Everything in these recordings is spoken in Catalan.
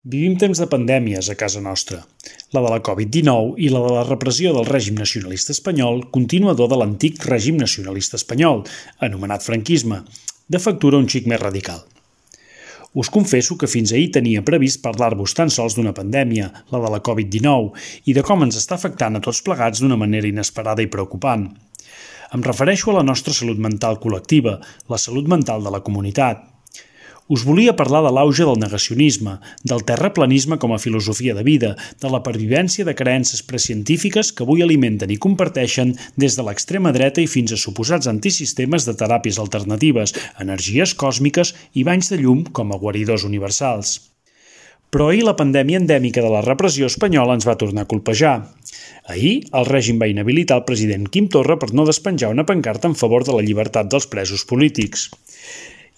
Vivim temps de pandèmies a casa nostra. La de la Covid-19 i la de la repressió del règim nacionalista espanyol, continuador de l'antic règim nacionalista espanyol, anomenat franquisme, de factura un xic més radical. Us confesso que fins ahir tenia previst parlar-vos tan sols d'una pandèmia, la de la Covid-19, i de com ens està afectant a tots plegats d'una manera inesperada i preocupant. Em refereixo a la nostra salut mental col·lectiva, la salut mental de la comunitat. Us volia parlar de l'auge del negacionisme, del terraplanisme com a filosofia de vida, de la pervivència de creences precientífiques que avui alimenten i comparteixen des de l'extrema dreta i fins a suposats antisistemes de teràpies alternatives, energies còsmiques i banys de llum com a guaridors universals. Però ahir la pandèmia endèmica de la repressió espanyola ens va tornar a colpejar. Ahir, el règim va inhabilitar el president Quim Torra per no despenjar una pancarta en favor de la llibertat dels presos polítics.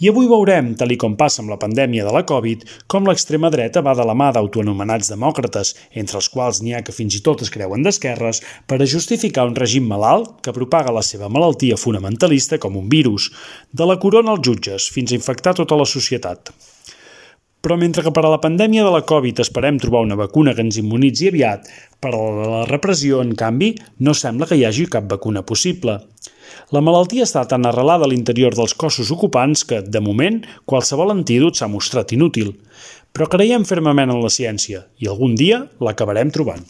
I avui veurem, tal com passa amb la pandèmia de la Covid, com l'extrema dreta va de la mà d'autoanomenats demòcrates, entre els quals n'hi ha que fins i tot es creuen d'esquerres, per a justificar un règim malalt que propaga la seva malaltia fonamentalista com un virus, de la corona als jutges, fins a infectar tota la societat. Però mentre que per a la pandèmia de la Covid esperem trobar una vacuna que ens immunitzi aviat, per a la repressió, en canvi, no sembla que hi hagi cap vacuna possible. La malaltia està tan arrelada a l'interior dels cossos ocupants que, de moment, qualsevol antídot s'ha mostrat inútil. Però creiem fermament en la ciència i algun dia l'acabarem trobant.